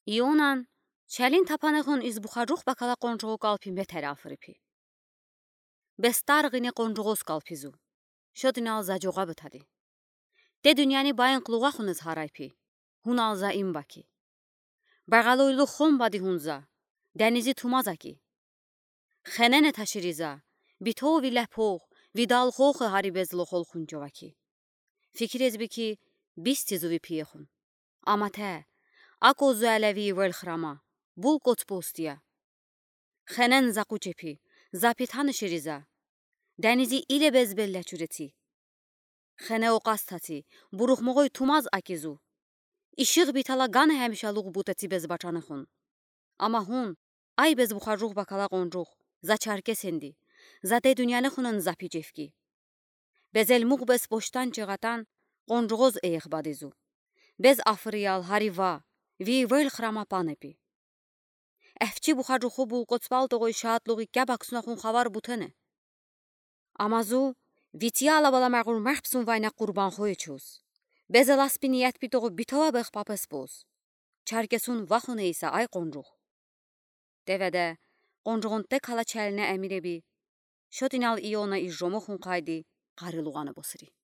Ионан, чалин тапанахун из бухажух бакала конжугу калпин бетер африпи. Бестаргине конжугос калпизу. Шодинал заджуга бетади. Те дуньяни байн клуга хунез харайпи. Хунал за имбаки. Баргалойлу хом бади хунза. Денизи тумазаки. Хенене ташириза. Бито вилепох. Видал хох хари безло хол хунжоваки. Fikirez biki bistizu vipiyexun. Amate, akozu elevi velxrama, bul kotspostiya. Xenen zaqucepi, zapitan şiriza. Denizi ile bezbelleçüreti. Xene oqastati, buruxmoğoy tumaz akizu. İşıq bitala gan həmişaluq buteti bezbaçanıxun. Ama hun, ay bezbuxarruq bakala qonruq, zaçarke sendi. Zade dünyanıxunun zapicefki. Bezelmuq bez boştan çığatan, qonruğoz eyxbadizu. Bez afriyal hariva, vi velxrama panepi. Əfçi buxarruxu bul qotsbaldoğoy şaatluği gəbaqsunaxun xavar butene. Amazu, vitiya alabala məğur məxbsun vayna qurban xoyçuz. Bez elaspiniyət bitoğu bitova bex papes boz. Çarkesun vaxun eysa ay qonruq. Devədə, qonruğun tek hala çəlinə əmirebi. Şodinal iona izjomoxun qaydi, qarılıqanı bosiri.